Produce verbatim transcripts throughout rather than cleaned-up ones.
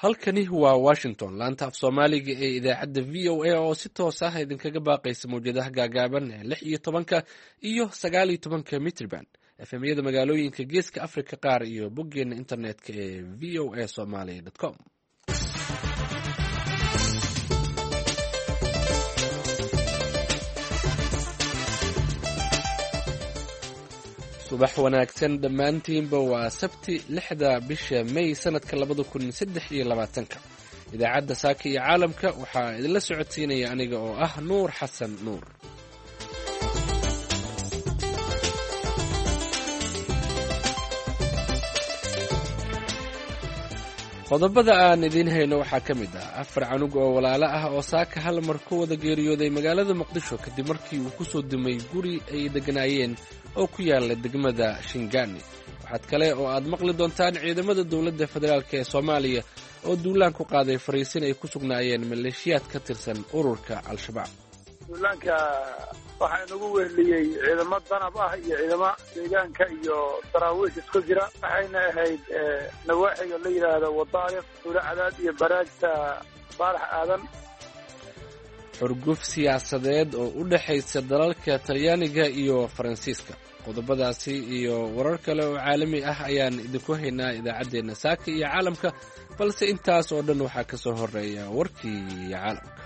Halkani waa Washington, laanta af Soomaaliga ee idaacadda V O A oo si toos ah idinkaga baaqaysa mawjadaha gaagaaban ee lix iyo tobanka iyo sagaal iyo tobanka mitrban, efemyada magaalooyinka Geeska Africa qaar iyo boggeena internetka ee V O A Somaly com. Subax wanaagsan dhammaantiinba. Waa Sabti, lixda bisha May, sanadka labada kun saddex iyo labaatanka. Idaacadda Saaka iyo Caalamka waxaa idinla socodsiinaya aniga oo ah Nuur Xasan Nuur. Qodobada aan idiin hayno waxaa ka mid ah afar canug oo walaalo ah oo saaka hal mar ku wada geeriyooday magaalada Muqdisho kadib markii uu ku soo dumay guri ay degganaayeen oo ku yaala degmada Shingaani. Waxaad kale oo aad maqli doontaan ciidamada dowladda federaalk ee Soomaaliya oo duulaan ku qaaday fariisin ay ku sugnaayeen maleeshiyaad ka tirsan ururka Al-Shabaab. Duulaanka waxaa inagu weheliyey ciidamo danab ah iyo ciidamo deegaanka iyo daraawiish isku jira. Waxayna ahayd nawaaxiga la yidhaahdo Wadaariq, Tuulo Cadaad iyo Baraagta Baarax Aadan. Xurguf siyaasadeed oo u dhexaysa dalalka Talyaaniga iyo Faransiiska. Qodobadaasi iyo warar kale oo caalami ah ayaan idinku haynaa idaacaddeenna Saaka iyo Caalamka, balse intaas oo dhan waxaa ka soo horeeya warkii caalamka.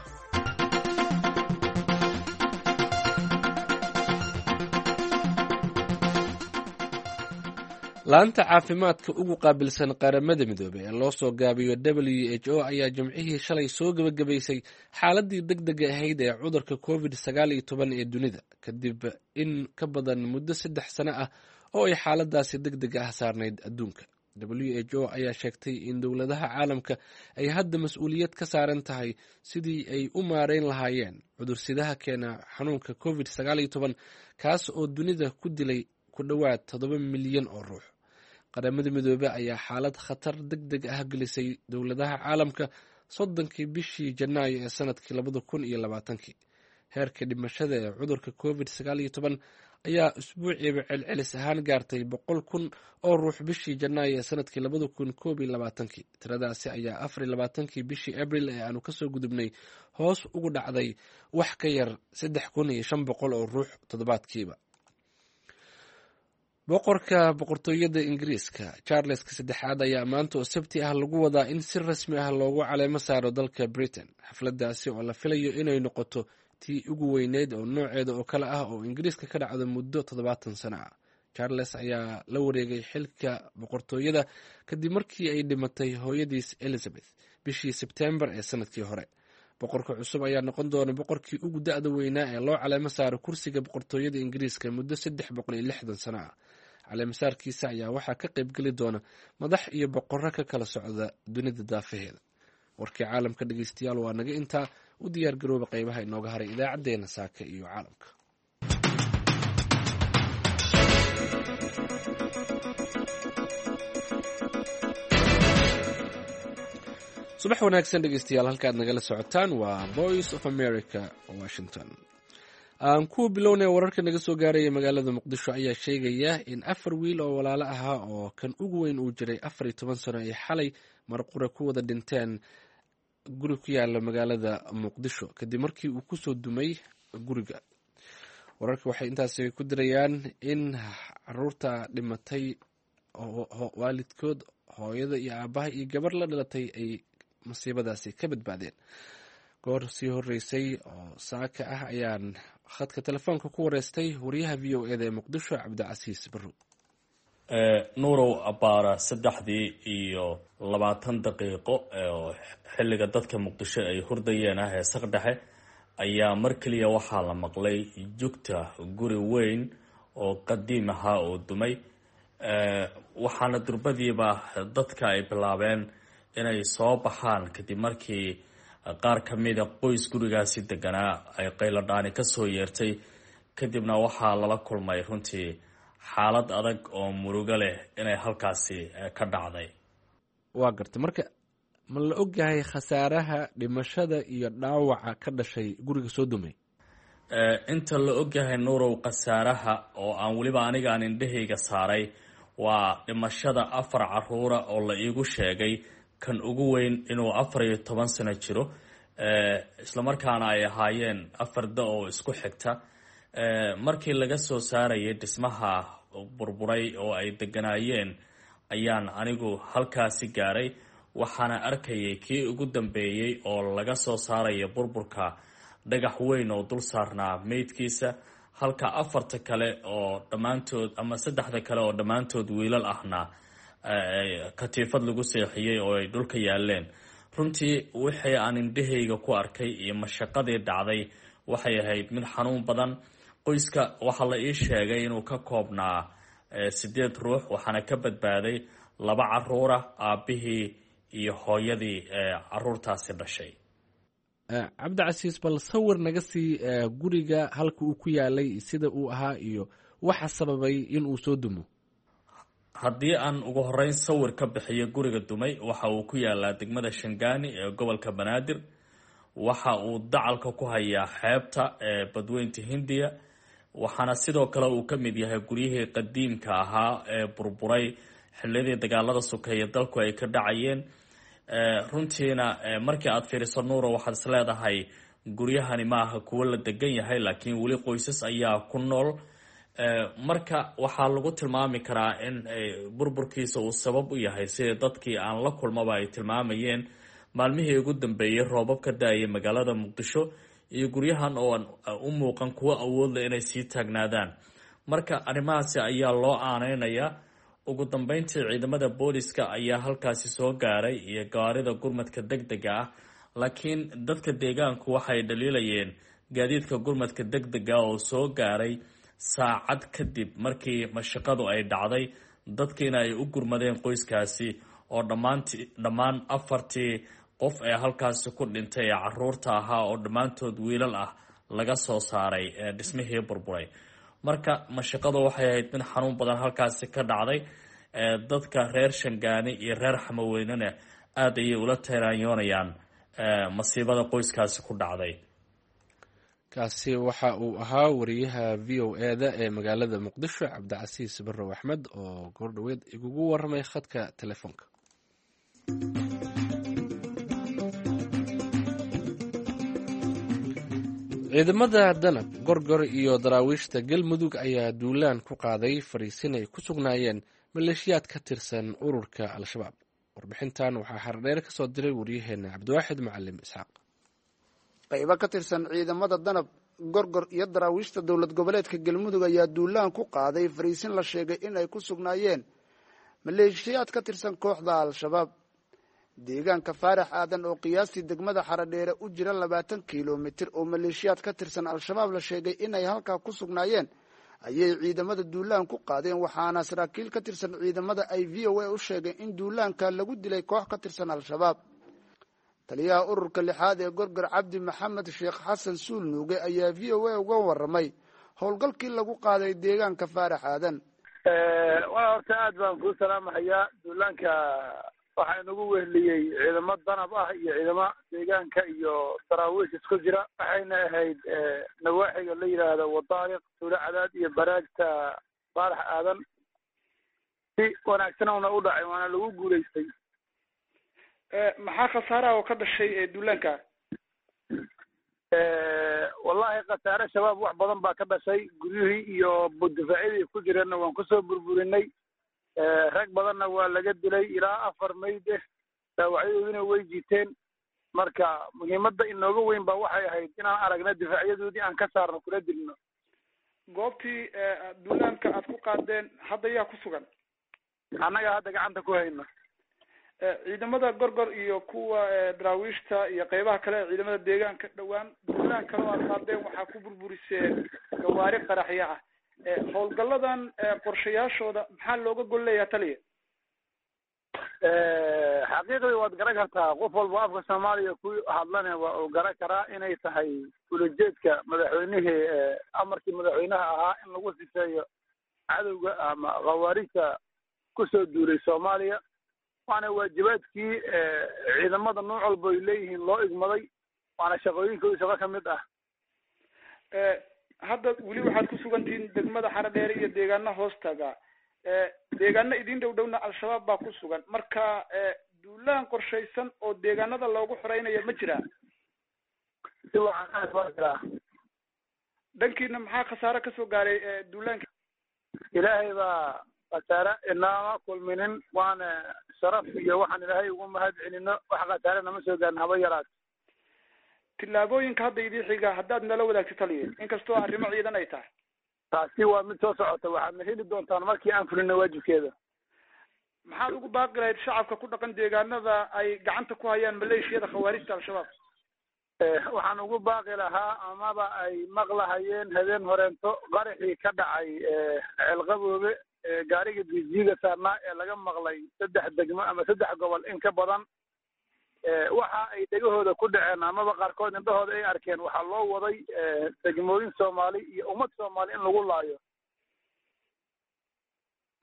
Laanta caafimaadka ugu qaabilsan Qaramada Midoobey ee loo soo gaabiyo W H O ayaa Jimcihii shalay soo gebagabaysay xaaladii deg dega ahayd ee cudurka Covid sagaal iyo toban ee dunida, kadib in ka badan muddo saddex sano ah oo ay xaaladaasi deg dega ah saarnayd adduunka. W H O ayaa sheegtay in dowladaha caalamka ay hadda mas-uuliyad ka saaran tahay sidii ay u maareyn lahaayeen cudursidaha keena xanuunka Covid sagaal iyo toban, kaas oo dunida ku dilay ku dhowaad toddoba milyan oo ruux. Qaramada Midoobe ayaa xaalad khatar deg deg ah gelisay dowladaha caalamka soddonkii bishii Janaayo ee sanadkii labada kun iyo labaatankii. Heerka dhimashada ee cudurka Covid sagaal iyo toban ayaa usbuuciiba celcelis ahaan gaartay boqol kun oo ruux bishii Janaayo ee sanadkii labada kun koob iyo labaatankii. Tiradaasi ayaa afar iyo labaatankii bishii Abril ee aanu kasoo gudubnay hoos ugu dhacday wax ka yar saddex kun iyo shan boqol oo ruux toddobaadkiiba. Boqorka Boqortooyada Ingiriiska Charleska Saddexaad ayaa maanta oo Sabti ah lagu wadaa in si rasmi ah loogu caleemo saaro dalka Britain, xafladaasi oo la filayo inay noqoto tii ugu weyneyd oo nooceeda oo kale ah oo Ingiriiska ka dhacdo muddo toddobaatan sano ah. Charles ayaa la wareegay xilka boqortooyada kadib markii ay dhimatay hooyadiis Elizabeth bishii Sebtembar ee sanadkii hore. Boqorka cusub ayaa noqon doona boqorkii ugu da-da weynaa ee loo caleemo saaro kursiga boqortooyada Ingiriiska muddo saddex boqol iyo lixdan sano ah. Caleemasaarkiisa ayaa waxaa ka qaybgeli doona madax iyo boqorro ka kala socda dunida daafaheeda. Warkii caalamka, dhegeystayaal, waa naga intaa. U diyaar garooba qeybaha inooga haray idaacaddeenna Saaka iyo Caalamka. Subax wanaagsan, dhegeystayaal. Halkaad nagala socotaan waa Voice of America, Washington. Aan ku bilownay, wararka naga soo gaaraya magaalada Muqdisho ayaa sheegaya in afar wiil oo walaalo ahaa oo kan ugu weyn uu jiray afar iyo toban sano ay xalay marqura ku wada dhinteen guri ku yaala magaalada Muqdisho kadib markii uu kusoo dumay guriga. Wararka waxay intaasi ku dirayaan in caruurta dhimatay waalidkood, hooyada iyo aabaha iyo gabar la dhalatay, ay masiibadaasi ka badbaadeen. Goor sii horeysay oo saaka ah ayaan khadka telefoonka ku wareystay wariyaha V O eda ee Muqdisho, Cabdicasiis Barrow. Nuurow, abbaara saddexdii iyo labaatan daqiiqo oo xilliga dadka Muqdisho ay hurdayeen ah ee saqdhexe ayaa mar keliya waxaa la maqlay jugta guri weyn oo qadiim ahaa oo dumay. Waxaana durbadiiba dadka ay bilaabeen inay soo baxaan kadib markii qaar ka mida qoys gurigaasi deganaa ay qayladhaani kasoo yeertay. Kadibna waxaa lala kulmay runtii xaalad adag oo murugo leh inay halkaasi ka dhacday. Waa garta. Marka ma la ogyahay khasaaraha dhimashada iyo dhaawaca ka dhashay guriga soo dumay? Inta la ogyahay, Nuurow, khasaaraha oo aan weliba aniga aan indhahayga saaray waa dhimashada afar caruura oo la iigu sheegay kan ugu weyn inuu afar iyo toban sano jiro, islamarkaana ay ahaayeen afar da oo isku xigta. Markii laga soo saarayay dhismaha burburay oo ay deganaayeen ayaan anigu halkaasi gaaray, waxaana arkayay kii ugu dambeeyey oo laga soo saaraya burburka dhagax weyn oo dul saarnaa meydkiisa, halka afarta kale oo dhammaantood ama saddexda kale oo dhammaantood wiilal ahna katiifad lagu seexiyey oo ay dhulka yaaleen. Runtii wixii aan indhahayga ku arkay iyo mashaqadii dhacday waxay ahayd mid xanuun badan. Qoyska waxaa la ii sheegay inuu ka koobnaa sideed ruux, waxaana ka badbaaday laba caruura, aabbihii iyo hooyadii caruurtaasi dhashay. Cabdicasiis, bal sawir naga sii guriga halka uu ku yaalay, sida uu ahaa iyo waxa sababay in uu soo dumo. Haddii aan ugu horeyn sawir ka bixiyo guriga dumay, waxa uu ku yaalaa degmada Shangaani ee gobolka Banaadir. Waxa uu dacalka ku hayaa xeebta ee badweynta Hindiya, waxaana sidoo kale uu ka mid yahay guryihii qadiimka ahaa ee burburay xilliyadii dagaalada sokeeye dalku ay ka dhacayeen. Runtiina markii aad fiiriso, Nuura, waxaad is leedahay guryahani maaha kuwo la degan yahay, laakiin weli qoysas ayaa ku nool. Marka waxaa lagu tilmaami karaa in burburkiisa uu sabab u yahay, sida dadkii aan la kulmaba ay tilmaamayeen, maalmihii ugu dambeeyey roobab ka da-ayay magaalada Muqdisho iyo guryahan oo aan u muuqan kuwo awoodle inay sii taagnaadaan. Marka arrimahaasi ayaa loo aaneynayaa. Ugu dambeyntii ciidamada booliska ayaa halkaasi soo gaaray iyo gawaarida gurmadka deg dega ah, laakiin dadka deegaanku waxay dhaliilayeen gaadiidka gurmadka deg dega oo soo gaaray saacad kadib markii mashaqadu ay dhacday, dadkiina ay u gurmadeen qoyskaasi oo dhammaanti dhammaan afartii qof ee halkaasi ku dhintay ee caruurta ahaa oo dhammaantood wiilal ah laga soo saaray dhismihii burburay. Marka mashaqadu waxay ahayd mid xanuun badan halkaasi ka dhacday. Dadka reer Shangaani iyo reer Xamaweynena aada ayay ula tiraanyoonayaan masiibada qoyskaasi ku dhacday. Kaasi waxa uu ahaa wariyaha V O E-da ee magaalada Muqdisho, Cabdicasiis Barrow Axmed, oo goordhoweed igugu waramay khadka telefoonka. Ciidamada Danab, Gorgor iyo daraawiishta Galmudug ayaa duulaan ku qaaday fariisin ay ku sugnaayeen maleeshiyaad ka tirsan ururka Al-Shabaab. Warbixintan waxaa Xardheere ka soo diray waryaheena Cabdiwaaxid Macalim Isxaaq. Qaybo ka tirsan ciidamada Danab, Gorgor iyo daraawiishta dowlad goboleedka Galmudug ayaa duulaan ku qaaday fariisin la sheegay in ay ku sugnaayeen maleeshiyaad ka tirsan kooxda Al-Shabaab. Deegaanka Faarax Aadan oo qiyaastii degmada Xaradheere u jira labaatan kilomitir oo maleeshiyaad ka tirsan Al-Shabaab la sheegay inay halkaa ku sugnaayeen ayay ciidamada duulaan ku qaadeen, waxaana saraakiil ka tirsan ciidamada ay V O A u sheegeen in duulaanka lagu dilay koox ka tirsan Al-Shabaab. Taliyaha ururka lixaad ee Gorgor, Cabdi Maxamed Sheekh Xasan Suul Nuuge, ayaa V O A uga waramay howlgalkii lagu qaaday deegaanka Faarax Aadan. Waa horta aad baan kuu salaamahayaa. Duulaanka waxaa inagu weheliyey ciidamo danab ah iyo ciidamo deegaanka iyo daraawiish isku jira. Waxayna ahayd nawaaxiga la yidhaahdo Wadaariq, Tuulo Cadaad iyo baraagta Faarax Aadan. Si wanaagsan una u dhacay, waana lagu guulaystay. Maxaa khasaaraha oo ka dhashay duulaanka? Wallahi khasaare shabaab wax badan baa ka dhashay. Guryihii iyo difaacyadii ku jireenna waan kusoo burburinay, rag badanna waa laga dilay, ilaa afar mayd eh, dhaawacyadoodina way jiiteen. Marka muhiimadda inooga weyn baa waxay ahayd inaan aragna difaacyadoodii aan ka saarno kula dilno. Goobtii duulaanka aad ku qaadeen hadda yaa ku sugan? Annaga hadda gacanta ku hayno. Ciidamada Gorgor iyo kuwa daraawiishta iyo qeybaha kale ee ciidamada deegaanka dhowaan duulaan kale oo aad qaadeen waxaa ku burburiseen gawaari qaraxyo ah. Howlgalladan qorshayaashooda maxaa looga gol leeyaha, taliya? Xaqiiqdii waad garan kartaa, qof walba afka Soomaaliya ku hadlana waa uu garan karaa inay tahay ulajeedka madaxweynihii, amarkii madaxweynaha ahaa in lagu sifeeyo cadowga ama khawaarijta kusoo duulay Soomaaliya, waana waajibaadkii ciidamada nooc walba ay leeyihiin loo igmaday, waana shaqooyinkooda shaqo ka mid ah. Hadda weli waxaad ku sugantihiin degmada Xaradheere iyo deegaano hoostaga, deegaano idin dhow dhowna Al-Shabaab baa ku sugan. Marka duulaan Duulaan qorshaysan oo deegaanada loogu xoreynayo ma jiraa? Si wacan, aad waa jiraa. Dhankiina maxaa khasaare kasoo gaaray duulaanka? Ilaahay baa khasaare inaama kulminin, waana sharaf iyo waxaan Ilaahay ugu mahad celino, wax khasaare nama soo gaarin haba yaraat. Tillaabooyinka hadda idii xiga haddaad nala wadaagto, taliye, inkastoo arrimo ciidan ay tahay. Taasi waa mid soo socota, waxaadna heli doontaan markii aan fulino waajibkeeda. Maxaad ugu baaqi lahayd shacabka ku dhaqan deegaanada ay gacanta ku hayaan maleeshiyada khawaarijta Al-Shabaab? Waxaan ugu baaqi lahaa, amaba ay maqlahayeen habeen horeento qaraxii ka dhacay Ceelqaboobe, gaariga dijiga saarnaa ee laga maqlay saddex degmo ama saddex gobol in ka badan, waxa ay dhegahooda ku dhaceen amaba qaarkood indhahooda ay arkeen, waxaa loo waday degmooyin Soomaali iyo ummad Soomaali in lagu laayo.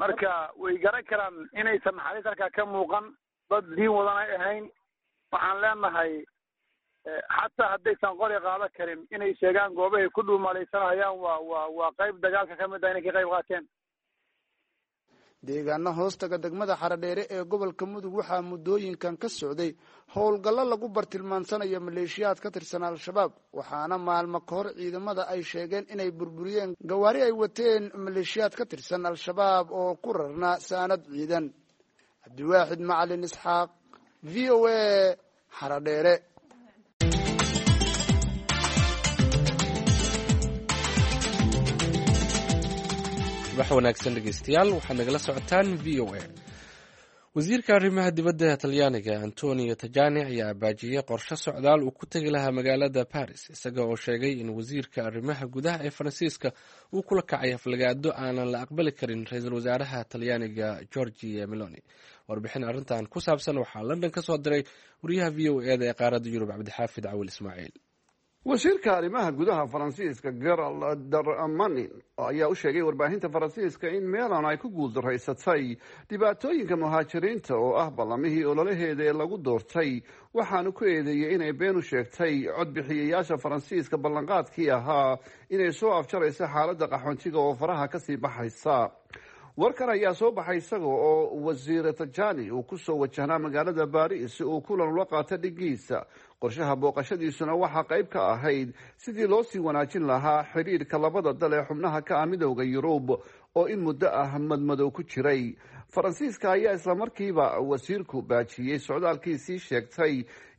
Marka way garan karaan inaysan naxariis halkaa ka muuqan, dad diin wadan ay ahayn. Waxaan leenahay, xataa haddaysan qori qaado karin, inay sheegaan goobahay ku dhuumalaysanayaan waa waa waa qayb dagaalka ka mid ah inay ka qayb qaateen. Deegaano hoostaga degmada Xaradheere ee gobolka Mudug waxaa muddooyinkan ka socday howlgallo lagu bartilmaansanayo maleeshiyaad ka tirsan Al-Shabaab, waxaana maalmo ka hor ciidamada ay sheegeen inay burburiyeen gawaari ay wateen maleeshiyaad ka tirsan Al-Shabaab oo ku rarnaa saanad ciidan. Cabdiwaaxid Macalin Isxaaq, V O A, Xaradheere. Subax wanaagsan dhegeystayaal, waxaad nagala socotaan V O A. Wasiirka arrimaha dibadda ee Talyaaniga Antonio Tajani ayaa abaajiyey qorshe socdaal uu ku tegi lahaa magaalada Paris, isaga oo sheegay in wasiirka arrimaha gudaha ee Faransiiska uu kula kacay aflagaado aanan la aqbali karin ra-iisul wasaaraha Talyaaniga Giorgia Meloni. Warbixin arrintan ku saabsan waxaa London ka soo diray wariyaha V O E da ee qaaradda Yurub, Cabdixaafid Cawil Ismaaciil. Wasiirka arrimaha gudaha Faransiiska Gerald Darmanin ayaa u sheegay warbaahinta Faransiiska in Meloni ay ku guuldaraysatay dhibaatooyinka muhaajiriinta oo ah ballamihii ololaheeda ee lagu doortay. Waxaanu ku eedeeyey inay been u sheegtay codbixiyayaasha Faransiiska ballanqaadkii ahaa inay soo afjarayso xaaladda qaxoontiga oo faraha kasii baxaysa. Warkan ayaa soo baxay isaga oo wasiir Tajani uu kusoo wajahnaa magaalada Baris si uu kulan ula qaato dhigiisa. Qorshaha booqashadiisuna waxaa qayb ka ahayd sidii loo sii wanaajin lahaa xidhiirka labada dal ee xubnaha ka ah Midowda Yurub oo in muddo ah madmadow ku jiray. Faransiiska ayaa islamarkiiba wasiirku baajiyey socdaalkiisii sheegtay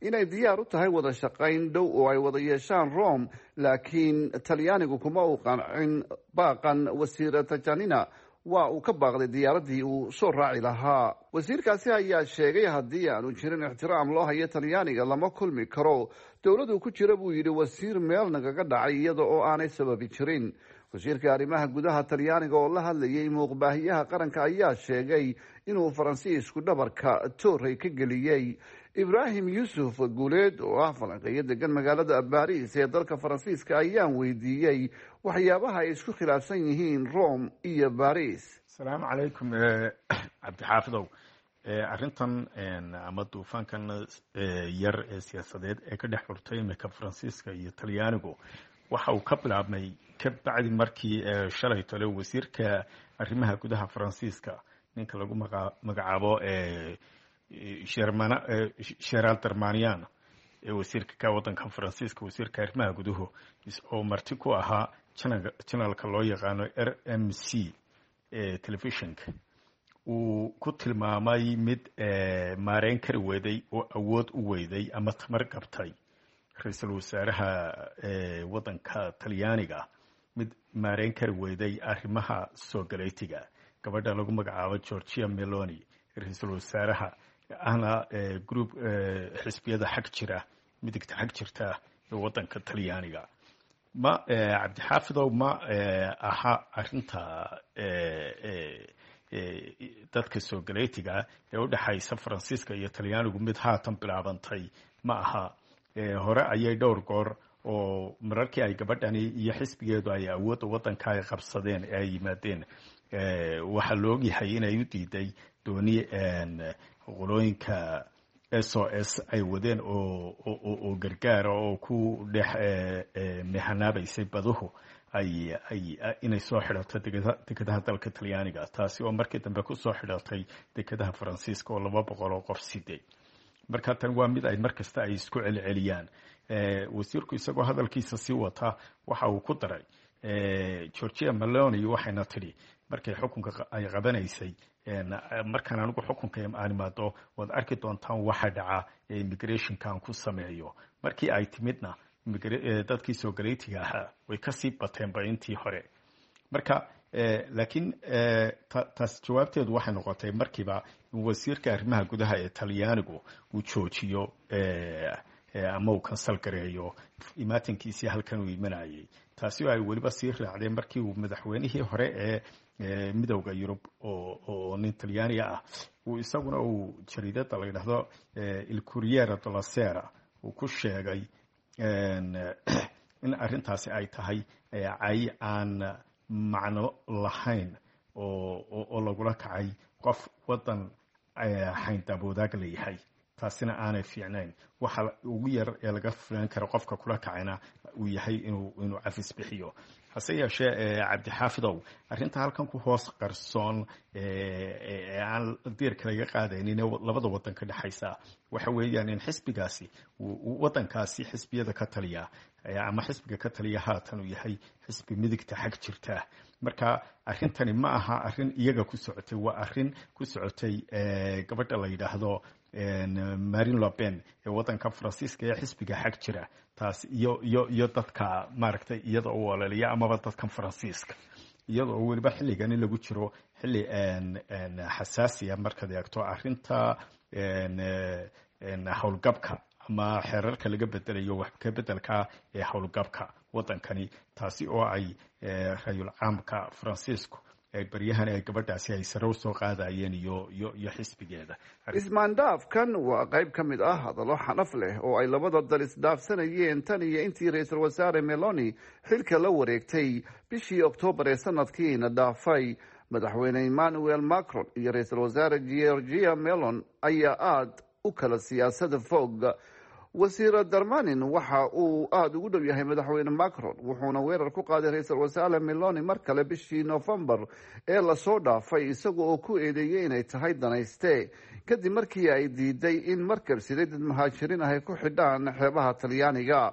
inay diyaar u tahay wada shaqayn dhow oo ay wada yeeshaan Rome, laakiin Talyaanigu kuma uu qancin baaqan. Wasiir Tajanina waa uu ka baaqday diyaaradii uu soo raaci lahaa. Wasiirkaasi ayaa sheegay haddii aanu jirin ixtiraam loo hayo Talyaaniga, lama kulmi karo dowladuu ku jira, buu yidhi wasiir meel nagaga dhacay iyada oo aanay sababi jirin. Wasiirka arrimaha gudaha Talyaaniga oo la hadlayay muuqbaahiyaha qaranka ayaa sheegay inuu Faransiisku dhabarka toorey ka geliyey. Ibraahim Yuusuf Guuleed oo ah falanqeeyo degan magaalada Baris ee dalka Faransiiska ayaan weydiiyey waxyaabaha ay isku khilaafsan yihiin Rome iyo Baris. Asalaamu calaykum, Cabdixaafidow. Arrintan ama duufaankan yar ee siyaasadeed ee ka dhex xurtay imika Faransiiska iyo Talyaanigu waxa uu ka bilaabmay ka bacdi markii shalay tole wasiirka arrimaha gudaha Faransiiska, ninka lagu magacaabo Gerald Darmanin ee wasiirka ka wadanka Faransiiska, wasiirka arrimaha guduhu, oo marti ku ahaa channelka loo yaqaano R M C telefishinka, uu ku tilmaamay mid maareyn kari weyday oo awood u weyday ama tamar qabtay ra-iisul wasaaraha wadanka Talyaaniga, mid maareyn kari weyday arrimaha soo galeytiga, gabadha lagu magacaabo Giorgia Meloni, ra-iisul wasaaraha ahna group xisbiyada xag jira, midigta xag jirta ee wadanka Talyaaniga. Ma Cabdixaafidow, ma aha arrinta dadka soo galeytiga ee u dhexaysa Faransiiska iyo Talyaanigu mid haatan bilaabantay ma aha. Hore ayay dhowr goor oo mararkii ay gabadhani iyo xisbigeedu ay awoodda waddanka ay qabsadeen ee ay yimaadeen, waxaa la ogyahay inay u diiday dooni qolooyinka S O S ay wadeen oo oo gargaara oo ku dhex mehanaabaysay baduhu ay ay inay soo xidhato dekadaha dalka Talyaaniga, taasi oo markii dambe kusoo xidhatay dekadaha Faransiiska oo laba boqol oo qof siday. Marka tan waa mid ay markasta ay isku celceliyaan. Wasiirku isagoo hadalkiisa sii wata waxa uu ku daray, Georgia Meloni waxayna tidhi markay xukunka ay qabanaysay, markaan anigu xukunka aan imaado waad arki doontaan waxa dhaca ee immigrationkan ku sameeyo. Markii ay timidna dadkii soo galeytiga ahaa way kasii bateenba intii hore. Marka laakiin taas jawaabteedu waxay noqotay markiiba in wasiirka arrimaha gudaha ee Talyaanigu uu joojiyo ama uu kansal gareeyo imaatinkiisii halkan uu imanayay, taasi oo ay weliba sii raacdeen markii uu madaxweynihii hore ee Midowda Yurub oo nin Talyaaniga ah uu isaguna uu jariidada la yidhaahdo Il Corriere della Sera uu ku sheegay in arrintaasi ay tahay cay aan macno lahayn oo lagula kacay qof waddan xayndaab wadaag leeyahay, taasina aanay fiicnayn. Waxa ugu yar ee laga filan karo qofka kula kacayna uu yahay inuu inuu cafis bixiyo. Hase yeeshee, Cabdixaafidow, arrinta halkan ku hoos qarsoon ee aan diirka laga qaadaynin labada waddan ka dhexaysa waxa weeyaan in xisbigaasi waddankaasi xisbiyada ka taliya ama xisbiga ka taliya haatan uu yahay xisbi midigta xag jirta. Marka arrintani ma aha arrin iyaga ku socotay, waa arrin ku socotay gabadha la yidhaahdo Marine Le Pen ee waddanka Faransiiska ee xisbiga xag jira, taas iyo iyo iyo dadka maaragtay iyada u ololiya amaba dadkan Faransiiska, iyadoo weliba xilligan in lagu jiro xilli xasaasiya markaad eegto arrinta howlgabka ama xeerarka laga bedelayo wax ka bedelka ee howlgabka waddankani, taasi oo ay rayul caamka Faransiisku ay baryahan ay gabadhaasi ay sare usoo qaadayeen iyo iyo iyo xisbigeeda. Ismaandhaafkan waa qayb ka mid ah hadallo xanaf leh oo ay labada dal isdhaafsanayeen tan iyo intii ra-iisul wasaare Meloni xilka la wareegtay bishii Oktoobar ee sanadkiina dhaafay. Madaxweyne Emmanuel Macron iyo ra-iisul wasaare Georgia Melon ayaa aada u kala siyaasada fog. Wasiir Darmanin waxa uu aada ugu dhow yahay madaxweyne Macron, wuxuuna weerar ku qaaday ra-iisul wasaare Meloni mar kale bishii Novembar ee lasoo dhaafay, isaga oo ku eedeeyey inay tahay danayste kadib markii ay diiday in markab siday dad muhaajiriin ah ay ku xidhaan xeebaha Talyaaniga.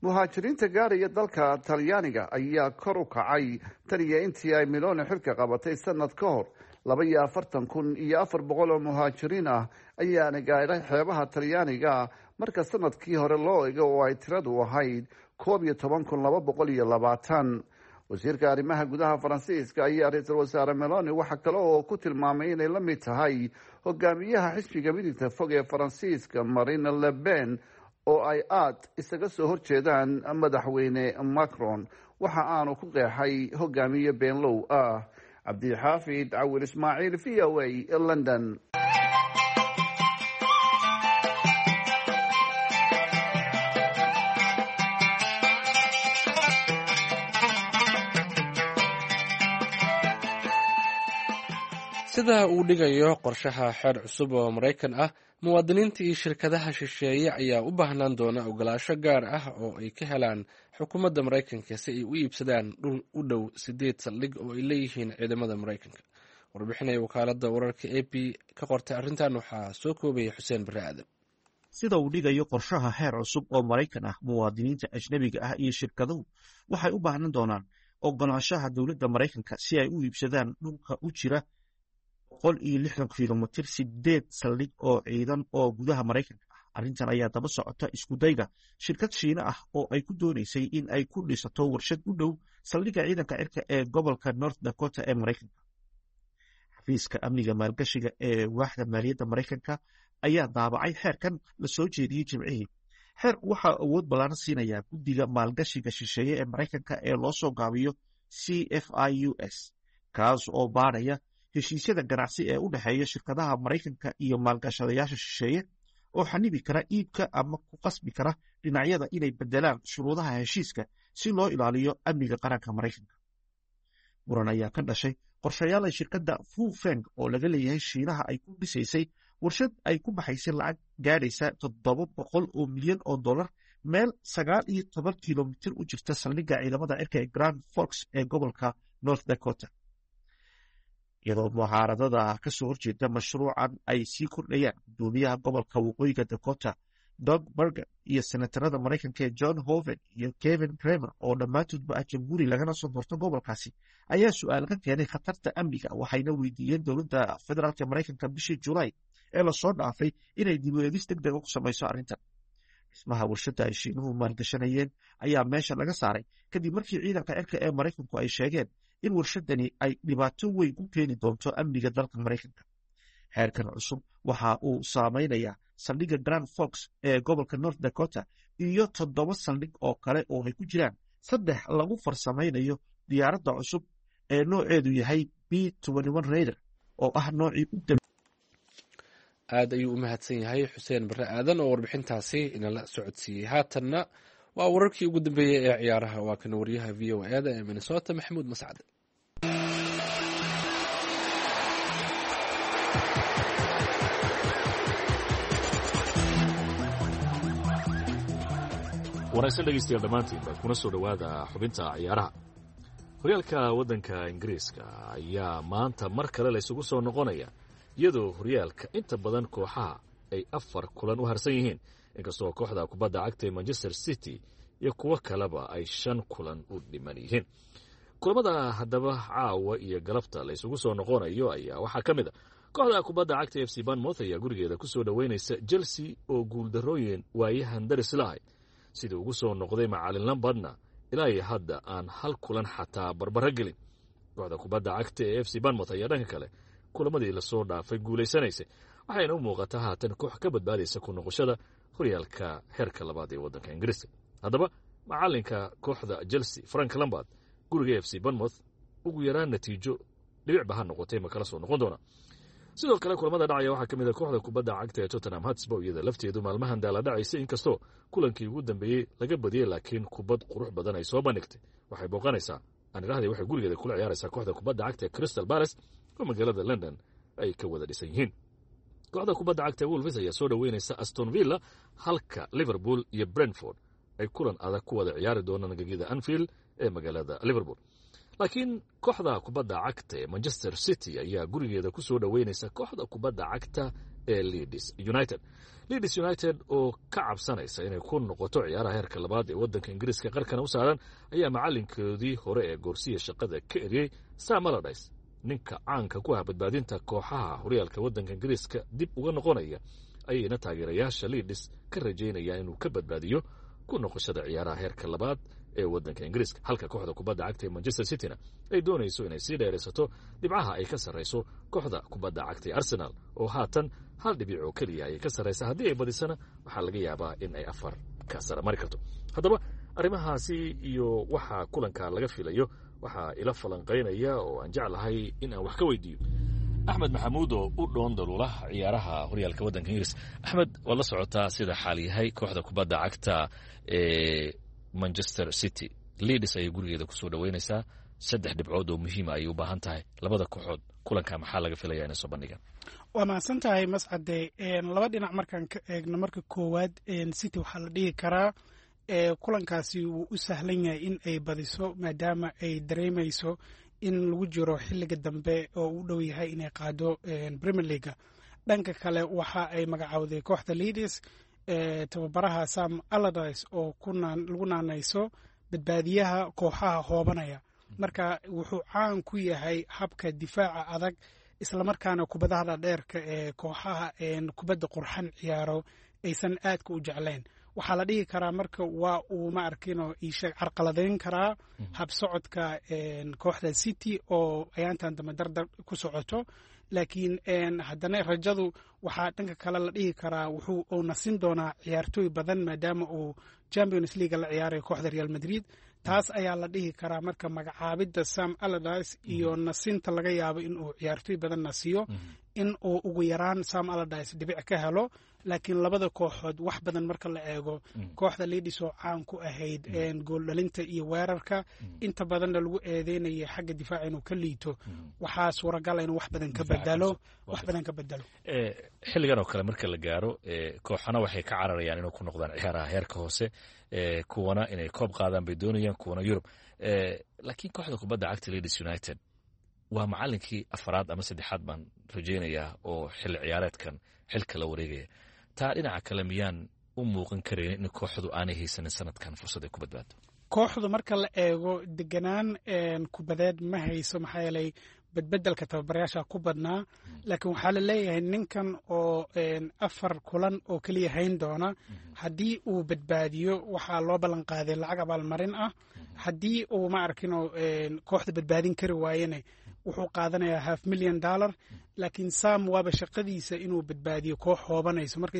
Muhaajiriinta gaaraya dalka Talyaaniga ayaa kor u kacay tan iyo intii ay Meloni xilka qabatay sanad ka hor. Laba iyo afartan kun iyo afar boqol oo muhaajiriin ah ayaana gaadhay xeebaha Talyaaniga, marka sanadkii hore loo ego oo ay tiradu ahayd koob iyo toban kun laba boqol iyo labaatan. Wasiirka arrimaha gudaha Faransiiska ayaa ra-iisul wasaare Meloni waxa kale oo ku tilmaamay inay la mid tahay hogaamiyaha xisbiga midigta fog ee Faransiiska Marine Le Pen oo ay aada isaga soo horjeedaan madaxweyne Macron. Waxa aanu ku qeexay hogaamiye beenlow ah. Cabdixaafid Cawil Ismaaciil, V O A, London. Sida uu dhigayo qorshaha xeer cusub oo Maraykan ah, muwaadiniinta iyo shirkadaha shisheeye ayaa u baahnaan doona ogolaasho gaar ah oo ay ka helaan xukuumadda Maraykanka si ay u iibsadaan dhul u dhow sideed saldhig oo ay leeyihiin ciidamada Maraykanka. Warbixinaya wakaaladda wararka A P ka qortay arrintan waxaa soo koobaya Xuseen Barre Aadan. Sida uu dhigayo qorshaha xeer cusub oo Maraykan ah, muwaadiniinta ajnebiga ah iyo shirkaduhu waxay u baahnaan doonaan ogolaanshaha dowladda Maraykanka si ay u iibsadaan dhulka u jira boqol iyo lixdan kilomitir sideed saldhig oo ciidan oo gudaha Maraykanka ah. Arrintan ayaa daba socota iskudayga shirkad Shiine ah oo ay ku doonaysay in ay ku dhisato warshad u dhow saldhigga ciidanka cirka ee gobolka North Dakota ee Maraykanka. Xafiiska amniga maalgashiga ee waaxda maaliyadda Maraykanka ayaa daabacay xeerkan la soo jeediyey Jimcihii. Xeerku waxaa awood ballaaran siinayaa guddiga maalgashiga shisheeye ee Maraykanka ee loo soo gaabiyo C F I U S, kaas oo baadhaya heshiisyada ganacsi ee u dhexeeya shirkadaha Maraykanka iyo maalgashadayaasha shisheeye, oo xanibi kara iibka ama ku qasbi kara dhinacyada inay bedelaan shuruudaha heshiiska si loo ilaaliyo amniga qaranka Maraykanka. Muran ayaa ka dhashay qorshayaal ay shirkadda Fufeng oo laga leeyahay Shiinaha ay ku dhisaysay warshad ay ku baxaysay lacag gaadhaysa toddoba boqol oo milyan oo dollar meel sagaal iyo toban kilomitir u jirta saldhigga ciidamada cirka ee Grand Forks ee gobolka North Dakota. Iyadoo mucaaradada kasoo horjeeda mashruucan ay sii kordhayaan, gudoomiyaha gobolka Waqooyiga Dakota Doug Burgum iyo senatarada Maraykanka ee John Hoeven iyo Kevin Cramer, oo dhammaantoodba ah Jamhuuri lagana soo doorto gobolkaasi, ayaa su-aal ka keenay khatarta amniga, waxayna weydiiyeen dowladda federaalka Maraykanka bishii Julaay ee lasoo dhaafay inay dib u eegis deg dega ku samayso arrintan. Dhismaha warshadda ay Shiinuhu maalgashanayeen ayaa meesha laga saaray kadib markii ciidanka cirka ee Maraykanku ay sheegeen in warshadani ay dhibaato weyn ku keeni doonto amniga dalka Maraykanka. Xeerkan cusub waxa uu saameynayaa saldhigga Grand Forks ee gobolka North Dakota iyo toddoba saldhig oo kale oo ay ku jiraan saddex lagu farsamaynayo diyaaradda cusub ee nooceedu yahay B Raider, oo ah noocii u Aad ayuu u mahadsan yahay Xuseen Barre Aadan oo warbixintaasi inala socodsiiyey. Haatanna waa wararkii ugu dambeeyey ee ciyaaraha. Waa kan wariyaha V O E da ee Minnesota, Maxamuud Mascad. Wanaagsan dhegeystayaal dhammaantiin baad kuna soo dhowaada xubinta ciyaaraha. Horyaalka waddanka Ingiriiska ayaa maanta mar kale la isugu soo noqonaya, iyadoo horyaalka inta badan kooxaha ay afar kulan u harsan yihiin, inkastoo kooxda kubadda cagta ee Manchester City iyo kuwo kaleba ay shan kulan u dhiman yihiin. Kulamada haddaba caawa iyo galabta la isugu soo noqonayo ayaa waxaa ka mid a kooxda kubadda cagta F C Bournemouth ayaa gurigeeda ku soo dhoweynaysa Chelsea oo guuldarrooyin waayahan daris lahayd. Sidii ugu soo noqday macalin Lampardna ilaa iyo hadda aan hal kulan xataa barbaro gelin. Kooxda kubadda cagta ee F C Bournemouth ayaa dhanka kale kulamadii lasoo dhaafay guulaysanaysay, waxayna u muuqataa haatan koox ka badbaadaysa ku noqoshada horyaalka heerka labaad ee waddanka Ingiriiska. Haddaba macalinka kooxda Chelsea Frank Lampard guriga F C Bournemouth ugu yaraan natiijo dhibicba ha noqotay ma kala soo noqon doona? Sidoo kale kulamada dhacaya waxaa ka mid a kooxda kubadda cagta ee Tottenham Hotspur, iyada lafteedu maalmahan daala dhacaysa, inkastoo kulankii ugu dambeeyey laga badiyey, laakiin kubad qurux badan ay soo bandhigtay. Waxay booqanaysaa, aan idhahday, waxay gurigeeda kula ciyaaraysaa kooxda kubadda cagta ee Crystal Palace oo magaalada London ay ka wada dhisan yihiin. Kooxda kubadda cagta ee Wolves ayaa soo dhoweynaysa Aston Villa, halka Liverpool iyo Brentford ay kulan adag ku wada ciyaari doonaan gegida Anfield ee magaalada Liverpool. Laakiin kooxda kubadda cagta ee Manchester City ayaa gurigeeda ku soo dhoweynaysa kooxda kubadda cagta ee Leeds United. Leeds United oo ka cabsanaysa inay ku noqoto ciyaaraha heerka labaad ee waddanka Ingiriiska qarkana u saaran ayaa macalinkoodii hore ee goorsiya shaqada ka eriyey Sam Allardyce, ninka caanka ku ah badbaadinta kooxaha horyaalka waddanka Ingiriiska dib uga noqonaya, ayayna taageerayaasha Leeds ka rajaynayaan inuu ka badbaadiyo ku noqoshada ciyaaraha heerka labaad ee waddanka Ingiriiska, halka kooxda kubadda cagta ee Manchester Cityna ay doonayso inay sii dheeraysato dhibcaha ay ka sarrayso kooxda kubadda cagta ee Arsenal, oo haatan hal dhibic oo keliya ayay ka sarraysa. Haddii ay badisana waxaa laga yaabaa in ay afar ka sara mari karto. Haddaba arrimahaasi iyo waxaa kulanka laga filayo waxaa ila falanqaynaya oo aan jeclahay in aan wax ka weydiiyo Axmed Maxamuud oo u dhoon daluula ciyaaraha horyaalka waddanka Ingiriis. Axmed, waad la socotaa sida xaal yahay. Kooxda kubadda cagta ee Manchester City Leeds ayay gurigeeda kusoo dhoweynaysaa. Saddex dhibcood oo muhiima ayay u baahan tahay. Labada kooxood kulanka maxaa laga filaya inay soo bandhigaan? Waa mahadsan tahay, Mascade. Laba dhinac markaan ka eegno, marka koowaad City waxaa la dhihi karaa kulankaasi wuu u sahlan yahay in ay badiso, maadaama ay dareemayso in lagu jiro xilliga dambe oo u dhow yahay inay qaado Premier League-ga. Dhanka kale waxa ay magacowday kooxda Leeds tababaraha Sam Allardyce oo lagu naanayso badbaadiyaha kooxaha hoobanaya. Marka wuxuu caan ku yahay habka difaaca adag, islamarkaana kubadaha dhadheerka ee kooxaha kubadda qurxan ciyaaro aysan aadka u jeclayn. Waxaa la dhihi karaa marka waa uu ma arkino iisheeg carqaladeyn karaa habsocodka kooxda City oo ayaantan dambe dardar ku socoto. Laakiin haddana rajadu waxaa dhanka kale la dhihi karaa wuxuu uu nasin doonaa ciyaartooy badan, maadaama uu Champions League la ciyaarayo kooxda Real Madrid. Taas ayaa la dhihi karaa marka magacaabidda Sam Allardyce iyo nasinta laga yaabo in uu ciyaartooy badan nasiyo, in uu ugu yaraan Sam Allardyce dhibic ka helo. Laakiin labada kooxood wax badan marka la eego, kooxda Leeds oo caan ku ahayd gooldhalinta iyo weerarka, inta badanna lagu eedeynaya xagga difaaca inuu ka liito, waxaa suuragala inuu wax badan ka bedelo, wax badan ka bedelo. Xilligan oo kale marka la gaaro, kooxana waxay ka cararayaan inuu ku noqdaan ciyaaraha heerka hoose, kuwana inay koob qaadaan bay doonayaan, kuwana Yurub. Laakiin kooxda kubadda cagta Leeds United Waa macalinkii afaraad ama saddexaad baan rajaynayaa oo xilli ciyaareedkan xilka la wareegaya. Taa dhinaca kale miyaan u muuqan karaynin in kooxdu aanay haysanin sanadkan fursad ay ku badbaado? Kooxdu marka la eego deganaan kubadeed ma hayso, maxaa yeelay bedbedelka tababarayaasha ku badnaa. Laakiin waxaa la leeyahay ninkan oo afar kulan oo keliya hayn doona, haddii uu badbaadiyo waxaa loo ballan qaaday lacag abaalmarin ah. Haddii uu ma arkinoo kooxda badbaadin kari waayene, wuxuu qaadanayaa half million dollar. Laakiin Sam waaba shaqadiisa inuu badbaadiyo koox hoobanayso. Marka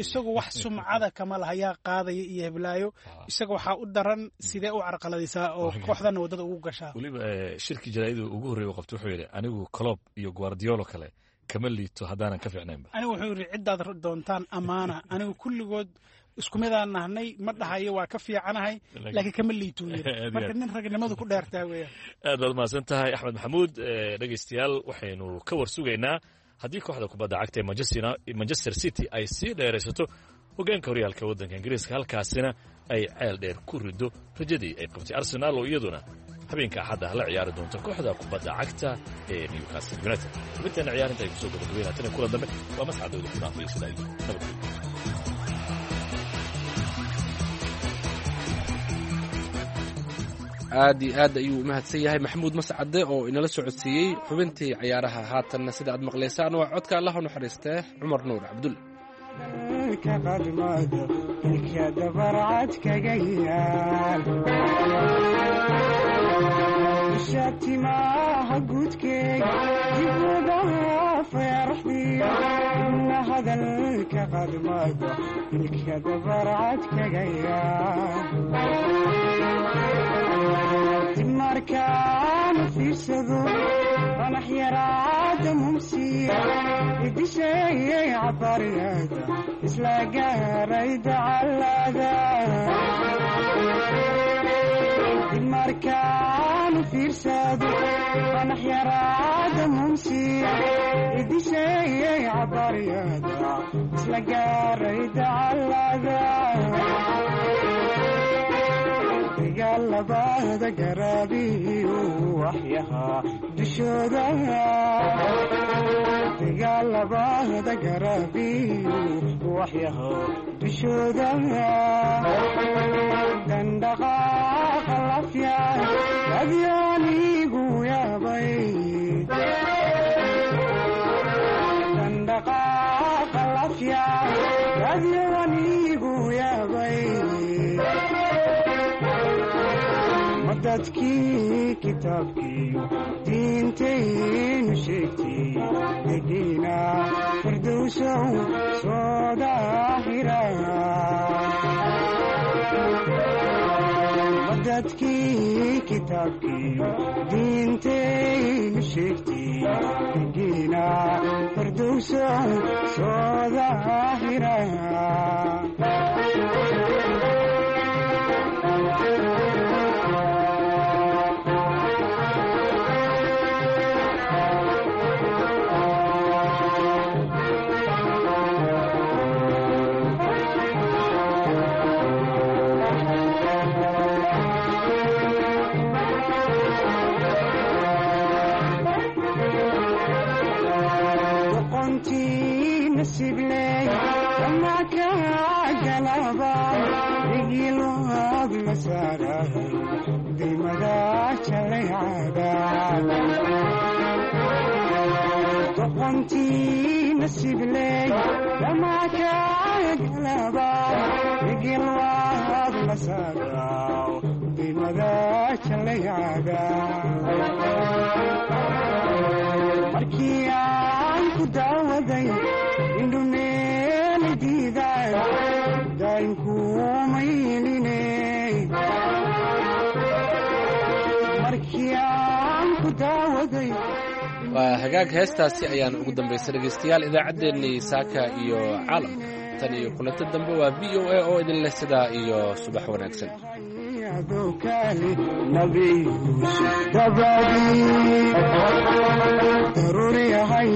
isagu wax sumcada kama lahayaa qaadaya iyo heblaayo, isaga waxaa u daran sidee u carqaladaysaa oo kooxdana waddada ugu gashaa. Weliba shirkii jaraa'iduu ugu horreey u qabtay wuxuu yidhi, anigu Klopp iyo Guardiolo kale kama liito haddaanan ka fiicnaynba. Anigu wuxuu yidhi, ciddaad doontaan amaana, anigu kulligood isku midaan nahnay, ma dhahayo waa ka fiicanahay, laakiin kama liituu yiri. Marka nin ragnimadu ku dheertaa weeyaan. Aad baad umahadsan tahay, Axmed Maxamuud. Dhegaystayaal, waxaynu ka war sugaynaa haddii kooxda kubadda cagta ee Manchester City ay sii dheeraysato hoggaanka horyaalka waddanka Ingiriiska, halkaasina ay ceel dheer ku rido rajadii ay qabtay Arsenaal oo iyaduna habeenka Axadda la ciyaari doonto kooxda kubadda cagta ee Newcastle United. Xubinteena ciyaarinta ay kusoo gabagabeynaa tan kulan dambe, waa mascadooda ku dhaafay sidaa iyo nabadgelyo. Aad iyo aad ayuu umahadsan yahay Maxamuud Mascade oo inala socodsiiyey xubintii ciyaaraha. Haatanna sida aad maqlaysaan waa codka Allah u naxariistee Cumar Nuur Cabdulle. Markaan fiirsado fanax yaraada mumsiya idisheeyay cabariyada isla gaaray dacalada. Markaan fiirsado fanax yaraada mumsiya idisheeyay cabariyada isla gaaray dacalada. Dagaalabada garaabiyu waxyaha dushooda, dagaalabada garaabiyu waxyaha dushooda, dandhaqaaqa lafya adyaanigu yaabay, dandhaqaaqa lafya adyaanigu yaabay. Dadkii kitaabkiiyo diintaynu sheegtay degiina firdowsow soo daahira. Dadkii kitaabkiiyo diintaynu sheegtay degiina firdowsow soo daahira. Markii aan ku daawaday indhumeeli diiday daayinkuumayline. Markii aan ku daawaday. Waa hagaag, heestaasi ayaan ugu dambaysa dhegaystayaal idaacaddeenii saaka iyo caalamka. Tan iyo kulanto dambe, waa V O A oo idin leh sidaa iyo subax wanaagsan. Daruuri yahay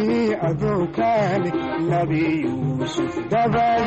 adowkaale Nabi Yuusuf dabadi.